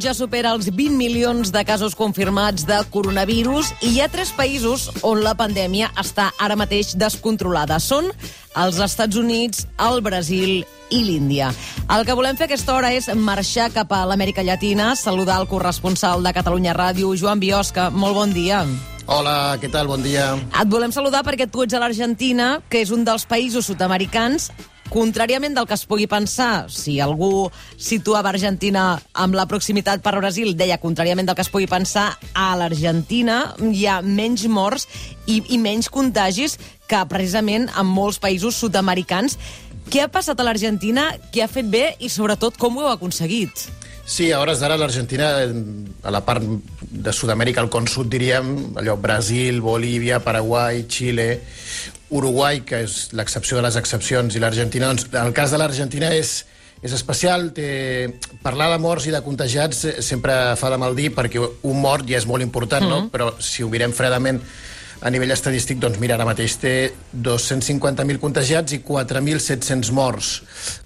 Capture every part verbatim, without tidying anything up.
ja supera els vint milions de casos confirmats de coronavirus i hi ha tres països on la pandèmia està ara mateix descontrolada. Són els Estats Units, el Brasil i l'Índia. El que volem fer a aquesta hora és marxar cap a l'Amèrica Llatina, saludar el corresponsal de Catalunya Ràdio, Joan Biosca. Molt bon dia. Hola, què tal? Bon dia. Et volem saludar perquè tu ets a l'Argentina, que és un dels països sud-americans. Contràriament del que es pugui pensar, si algú situava Argentina amb la proximitat per Brasil, deia contràriament del que es pugui pensar, a l'Argentina hi ha menys morts i, i menys contagis que precisament en molts països sud-americans. Què ha passat a l'Argentina? Què ha fet bé i, sobretot, com ho heu aconseguit? Sí, a hores d'ara l'Argentina, a la part de Sud-amèrica, al con sud, diríem, allò, Brasil, Bolívia, Paraguai, Xile, Uruguai, que és l'excepció de les excepcions, i l'Argentina, doncs, el cas de l'Argentina és, és especial. Té... Parlar de morts i de contagiats sempre fa de mal dir, perquè un mort ja és molt important, mm-hmm. no? Però si ho mirem fredament a nivell estadístic, doncs mira, ara mateix té dos-cents cinquanta mil contagiats i quatre mil set-cents morts.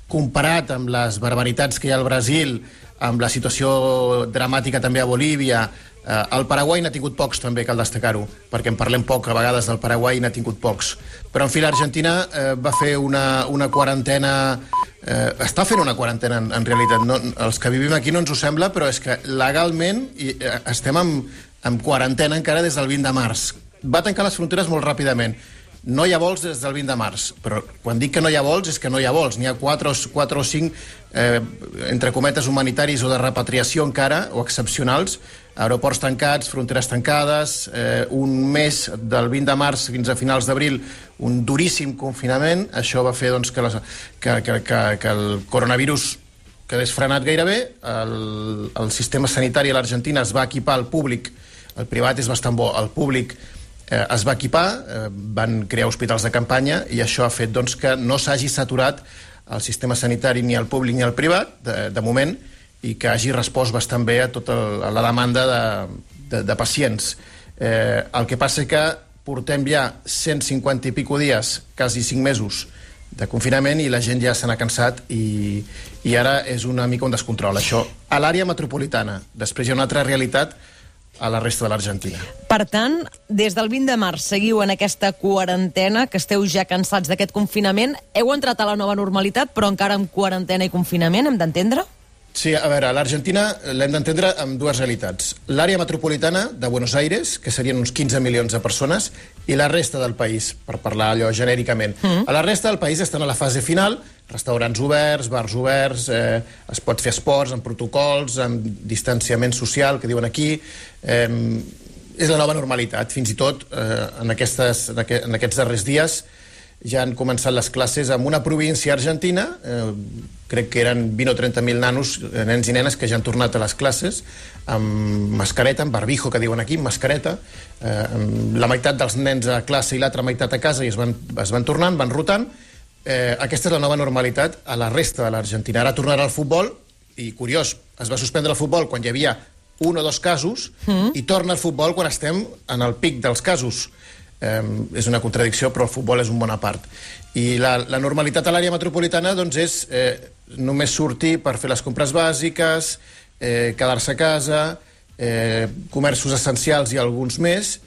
Comparat amb les barbaritats que hi ha al Brasil, amb la situació dramàtica també a Bolívia, eh, el Paraguai n'ha tingut pocs també, cal destacar-ho, perquè en parlem poc a vegades del Paraguai, n'ha tingut pocs. Però en fi, l'Argentina eh, va fer una, una quarantena, eh, està fent una quarantena en, en realitat, no? Els que vivim aquí no ens ho sembla, però és que legalment i, eh, estem en, en quarantena encara des del vint de març. Va tancar les fronteres molt ràpidament. No hi ha vols des del vint de març, però quan dic que no hi ha vols és que no hi ha vols. N'hi ha quatre o cinc, eh, entre cometes, humanitaris o de repatriació encara, o excepcionals, aeroports tancats, fronteres tancades, eh, un mes del vint de març fins a finals d'abril, un duríssim confinament. Això va fer doncs, que, les, que, que, que, que el coronavirus quedés frenat gairebé. El, el sistema sanitari a l'Argentina es va equipar al públic, el privat és bastant bo, el públic Eh, es va equipar, eh, van crear hospitals de campanya i això ha fet doncs, que no s'hagi saturat el sistema sanitari ni el públic ni el privat, de, de moment, i que hagi respost bastant bé a tota a la demanda de, de, de pacients. Eh, el que passa és que portem ja cent cinquanta i pico dies, quasi cinc mesos, de confinament i la gent ja se n'ha cansat i, i ara és una mica un descontrol. Això a l'àrea metropolitana. Després hi ha una altra realitat a la resta de l'Argentina. Per tant, des del vint de març seguiu en aquesta quarantena, que esteu ja cansats d'aquest confinament. Heu entrat a la nova normalitat, però encara en quarantena i confinament, hem d'entendre? Sí, a veure, a l'Argentina l'hem d'entendre amb dues realitats. L'àrea metropolitana de Buenos Aires, que serien uns quinze milions de persones, i la resta del país, per parlar allò genèricament. Mm. A la resta del país estan a la fase final, restaurants oberts, bars oberts, eh, es pot fer esports amb protocols, amb distanciament social, que diuen aquí. Eh, és la nova normalitat. Fins i tot eh, en, aquestes, en, aqu en aquests darrers dies ja han començat les classes en una província argentina, eh, crec que eren vint o trenta mil nanos, nens i nenes, que ja han tornat a les classes amb mascareta, amb barbijo, que diuen aquí, amb mascareta, eh, amb la meitat dels nens a classe i l'altra meitat a casa, i es van, es van tornant, van rotant. Eh, aquesta és la nova normalitat a la resta de l'Argentina. Ara tornarà al futbol, i curiós, es va suspendre el futbol quan hi havia un o dos casos, mm. i torna al futbol quan estem en el pic dels casos. Eh, és una contradicció, però el futbol és un bona part. I la, la normalitat a l'àrea metropolitana doncs, és eh, només sortir per fer les compres bàsiques, eh, quedar-se a casa, eh, comerços essencials i alguns més,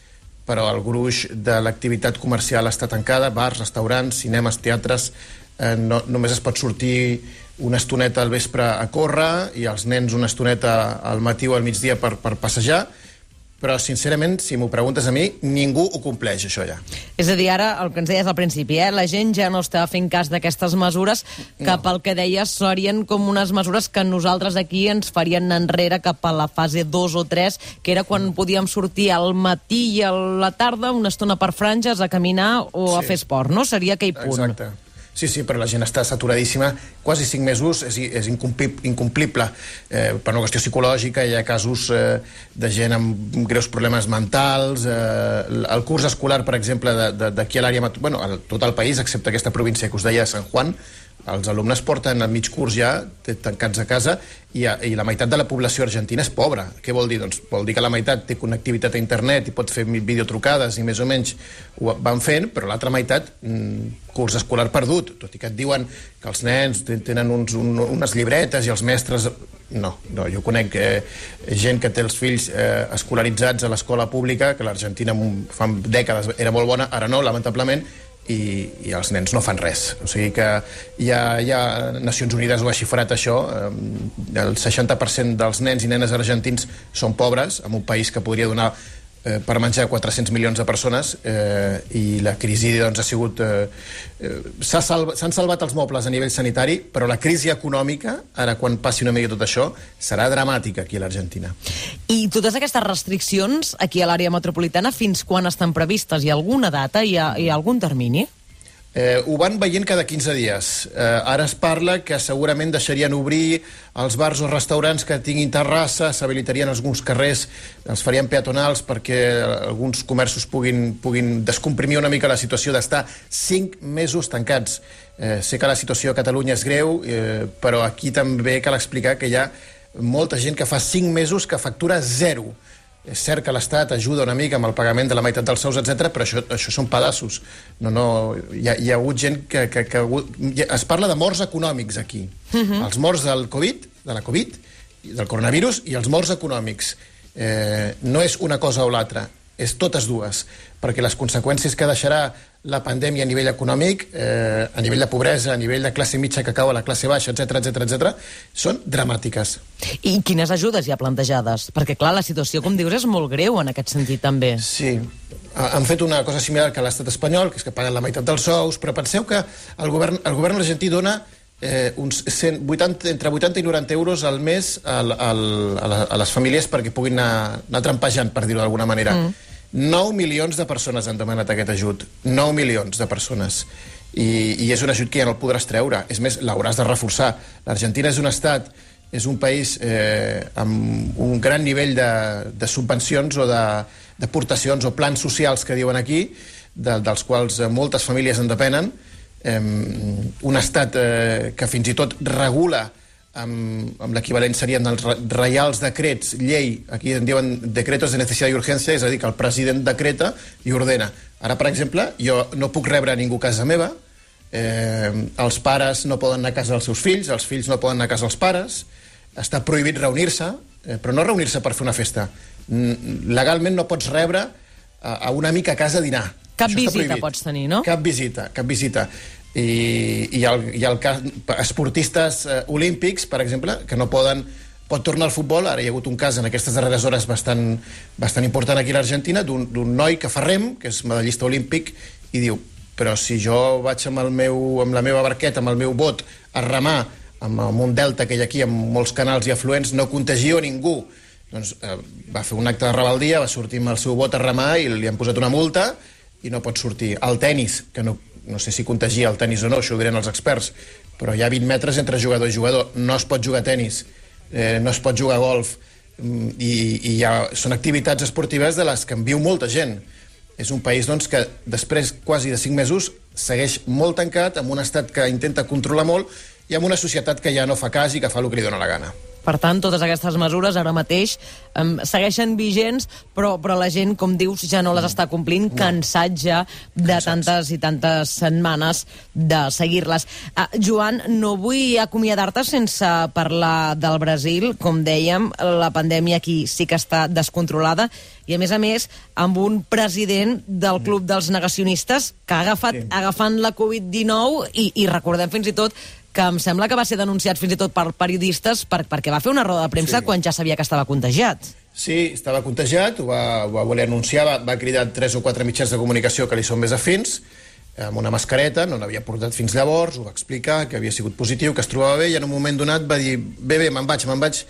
però el gruix de l'activitat comercial està tancada, bars, restaurants, cinemes, teatres, eh, no, només es pot sortir una estoneta al vespre a córrer i els nens una estoneta al matí o al migdia per, per passejar. Però, sincerament, si m'ho preguntes a mi, ningú ho compleix, això ja. És a dir, ara, el que ens deies al principi, eh? La gent ja no està fent cas d'aquestes mesures, que no. Pel que deies serien com unes mesures que nosaltres aquí ens farien enrere cap a la fase dos o tres, que era quan podíem sortir al matí i a la tarda, una estona per franges, a caminar o sí. a fer esport, no? Seria aquell punt. Exacte. Sí, sí, però la gent està saturadíssima. Quasi cinc mesos és, és incomplible. Eh, per una qüestió psicològica hi ha casos eh, de gent amb greus problemes mentals. Eh, el curs escolar, per exemple, d'aquí a l'àrea... Bueno, a tot el país, excepte aquesta província que us deia, San Juan, els alumnes porten a mig curs ja tancats a casa i, a, i la meitat de la població argentina és pobra. Què vol dir? Doncs vol dir que la meitat té connectivitat a internet i pot fer videotrucades i més o menys ho van fent, però l'altra meitat mm, curs escolar perdut, tot i que et diuen que els nens tenen uns, un, unes llibretes i els mestres... No, no, jo conec eh, gent que té els fills eh, escolaritzats a l'escola pública, que l'Argentina fa dècades era molt bona, ara no, lamentablement, i, i els nens no fan res. O sigui que ja, ja Nacions Unides ho ha xifrat això, eh, el seixanta per cent dels nens i nenes argentins són pobres, en un país que podria donar eh, per menjar quatre-cents milions de persones, eh, i la crisi doncs, ha sigut... Eh, eh, s'han salva, salvat els mobles a nivell sanitari, però la crisi econòmica, ara quan passi una mica tot això, serà dramàtica aquí a l'Argentina. I totes aquestes restriccions aquí a l'àrea metropolitana, fins quan estan previstes? Hi ha alguna data? Hi ha, hi ha algun termini? Eh, ho van veient cada quinze dies. Eh, ara es parla que segurament deixarien obrir els bars o restaurants que tinguin terrassa, s'habilitarien alguns carrers, els farien peatonals perquè alguns comerços puguin, puguin descomprimir una mica la situació d'estar cinc mesos tancats. Eh, sé que la situació a Catalunya és greu, eh, però aquí també cal explicar que hi ha molta gent que fa cinc mesos que factura zero. És cert que l'Estat ajuda una mica amb el pagament de la meitat dels sous, etcètera, però això, això són pedaços. No, no, hi, ha, hi ha hagut gent que... que, que es parla de morts econòmics aquí. Uh-huh. Els morts del Covid, de la Covid, del coronavirus, i els morts econòmics. Eh, no és una cosa o l'altra, és totes dues, perquè les conseqüències que deixarà la pandèmia a nivell econòmic, eh, a nivell de pobresa, a nivell de classe mitja que cau a la classe baixa, etcètera, etcètera, etcètera, són dramàtiques. I quines ajudes hi ha plantejades? Perquè, clar, la situació, com dius, és molt greu en aquest sentit, també. Sí. Han fet una cosa similar que l'estat espanyol, que és que paguen la meitat dels sous, però penseu que el govern, el govern argentí dona eh, uns cent vuitanta, entre vuitanta i noranta euros al mes al, al, a, la, a les famílies perquè puguin anar, anar trampejant, per dir-ho d'alguna manera. Mm. nou milions de persones han demanat aquest ajut. nou milions de persones. I, i és un ajut que ja no el podràs treure. És més, l'hauràs de reforçar. L'Argentina és un estat, és un país eh, amb un gran nivell de, de subvencions o d'aportacions o plans socials que diuen aquí, de, dels quals moltes famílies en depenen. Eh, un estat eh, que fins i tot regula amb, amb l'equivalent serien els reials decrets, llei, aquí en diuen decretos de necessitat i urgència, és a dir, que el president decreta i ordena. Ara, per exemple, jo no puc rebre a ningú a casa meva, eh, els pares no poden anar a casa dels seus fills, els fills no poden anar a casa dels pares, està prohibit reunir-se, eh, però no reunir-se per fer una festa. Legalment no pots rebre a, a un amic a casa a dinar. Cap visita pots tenir, no? Cap visita, cap visita. I, i, el, i el cas, esportistes eh, olímpics, per exemple, que no poden pot tornar al futbol. Ara hi ha hagut un cas en aquestes darreres hores bastant, bastant important aquí a l'Argentina d'un noi que fa rem, que és medallista olímpic, i diu, però si jo vaig amb, el meu, amb la meva barqueta, amb el meu bot, a remar amb, amb un delta que hi ha aquí, amb molts canals i afluents, no contagio ningú. Doncs eh, va fer un acte de rebeldia, va sortir amb el seu bot a remar i li han posat una multa i no pot sortir. El tennis, que no no sé si contagia el tennis o no, això ho diran els experts, però hi ha vint metres entre jugador i jugador, no es pot jugar a tennis, eh, no es pot jugar a golf, i, i ja són activitats esportives de les que en viu molta gent. És un país doncs, que després quasi de cinc mesos segueix molt tancat, amb un estat que intenta controlar molt i amb una societat que ja no fa cas i que fa el que li dóna la gana. Per tant, totes aquestes mesures ara mateix um, segueixen vigents, però, però la gent, com dius, ja no les està complint, no. Cansat ja de Cansats. tantes i tantes setmanes de seguir-les. Uh, Joan, no vull acomiadar-te sense parlar del Brasil. Com dèiem, la pandèmia aquí sí que està descontrolada i, a més a més, amb un president del Club dels Negacionistes que ha agafat, sí. agafant la covid dinou i, i recordem fins i tot que em sembla que va ser denunciat fins i tot per periodistes per, perquè va fer una roda de premsa sí. quan ja sabia que estava contagiat. Sí, estava contagiat, ho va, ho va voler anunciar, va, va cridar tres o quatre mitjans de comunicació que li són més afins, amb una mascareta, no n'havia portat fins llavors, ho va explicar, que havia sigut positiu, que es trobava bé, i en un moment donat va dir, bé, bé, me'n vaig, me'n vaig,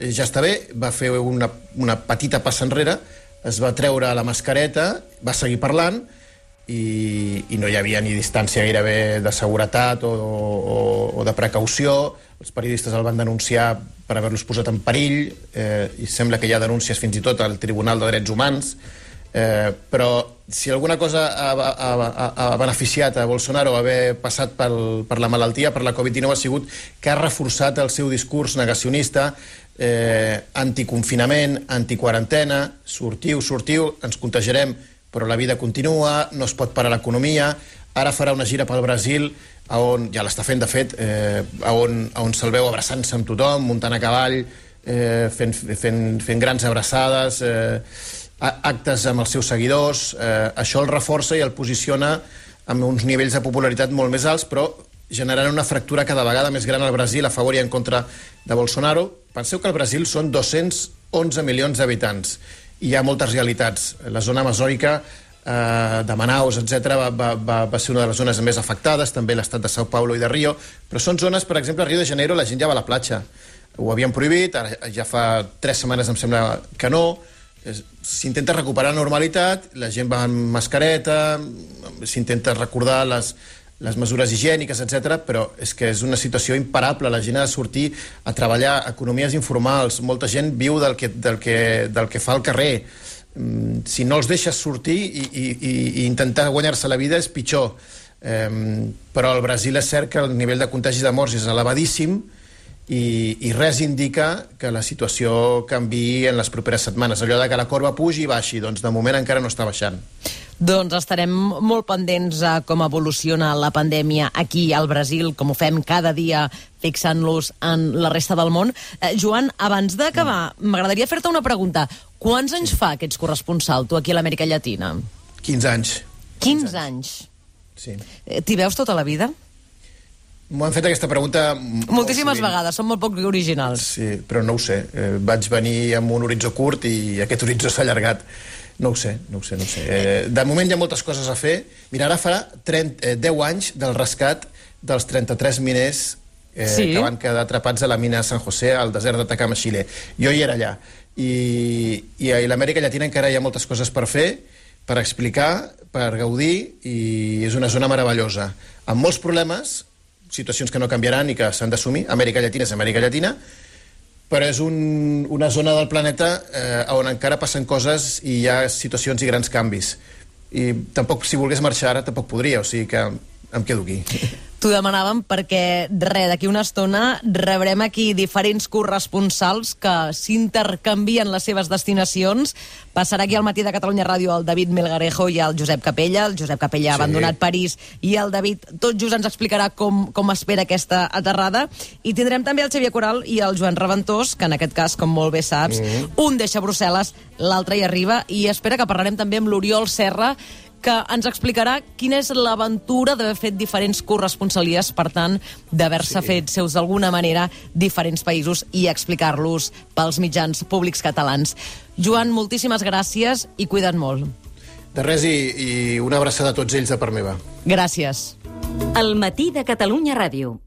ja està bé, va fer una, una petita passa enrere, es va treure la mascareta, va seguir parlant, I, i no hi havia ni distància gairebé de seguretat o, o, o de precaució. Els periodistes el van denunciar per haver-los posat en perill, eh, i sembla que hi ha denúncies fins i tot al Tribunal de Drets Humans. Eh, però si alguna cosa ha, ha, ha, ha beneficiat a Bolsonaro haver passat pel, per la malaltia, per la covid dinou, ha sigut que ha reforçat el seu discurs negacionista, eh, anticonfinament, antiquarantena, sortiu, sortiu, ens contagiarem, però la vida continua, no es pot parar l'economia. Ara farà una gira pel Brasil, on, ja l'està fent, de fet, eh, on, on se'l veu abraçant-se amb tothom, muntant a cavall, eh, fent, fent, fent grans abraçades, eh, actes amb els seus seguidors. Eh, això el reforça i el posiciona amb uns nivells de popularitat molt més alts, però generant una fractura cada vegada més gran al Brasil a favor i en contra de Bolsonaro. Penseu que al Brasil són dos-cents onze milions d'habitants i hi ha moltes realitats. La zona amazònica eh, de Manaus, etcètera, va, va, va, va ser una de les zones més afectades, també l'estat de São Paulo i de Rio, però són zones, per exemple, a Rio de Janeiro la gent ja va a la platja. Ho havien prohibit, ara ja fa tres setmanes em sembla que no. S'intenta recuperar la normalitat, la gent va amb mascareta, s'intenta recordar les, les mesures higièniques, etcètera, però és que és una situació imparable. La gent ha de sortir a treballar, economies informals, molta gent viu del que, del que, del que fa al carrer. Si no els deixes sortir i, i, i intentar guanyar-se la vida és pitjor. Eh, però al Brasil és cert que el nivell de contagi de morts és elevadíssim, I, i res indica que la situació canviï en les properes setmanes. Allò de que la corba pugi i baixi, doncs de moment encara no està baixant. Doncs estarem molt pendents a com evoluciona la pandèmia aquí al Brasil, com ho fem cada dia fixant-los en la resta del món. Eh, Joan, abans d'acabar, mm. m'agradaria fer-te una pregunta. Quants anys fa que ets corresponsal, tu, aquí a l'Amèrica Llatina? quinze anys. quinze anys? Sí. Eh, T'hi veus tota la vida? M'ho han fet aquesta pregunta... Moltíssimes vegades, són molt poc originals. Sí, però no ho sé. Eh, vaig venir amb un horitzó curt i aquest horitzó s'ha allargat. No ho sé, no ho sé, no ho sé. Eh, de moment hi ha moltes coses a fer. Mira, ara farà trenta, eh, deu anys del rescat dels trenta-tres miners eh, sí. que van quedar atrapats a la mina San José, al desert d'Atacama, Xile. Jo hi era allà. I, i a l'Amèrica Llatina encara hi ha moltes coses per fer, per explicar, per gaudir, i és una zona meravellosa. Amb molts problemes, situacions que no canviaran i que s'han d'assumir. Amèrica Llatina és Amèrica Llatina, però és un, una zona del planeta eh, on encara passen coses i hi ha situacions i grans canvis. I tampoc, si volgués marxar ara, tampoc podria, o sigui que em quedo aquí. T'ho demanàvem perquè, res, d'aquí una estona rebrem aquí diferents corresponsals que s'intercanvien les seves destinacions. Passarà aquí al Matí de Catalunya Ràdio el David Melgarejo i el Josep Capella. El Josep Capella ha sí. abandonat París i el David tot just ens explicarà com, com espera aquesta aterrada. I tindrem també el Xavier Coral i el Joan Reventós, que en aquest cas, com molt bé saps, mm. un deixa Brussel·les, l'altre hi arriba, i espera que parlarem també amb l'Oriol Serra, que ens explicarà quina és l'aventura d'haver fet diferents corresponsalies, per tant, d'haver-se sí. fet seus d'alguna manera diferents països i explicar-los pels mitjans públics catalans. Joan, moltíssimes gràcies i cuida't molt. De res, i, i una abraçada a tots ells de part meva. Gràcies. El Matí de Catalunya Ràdio.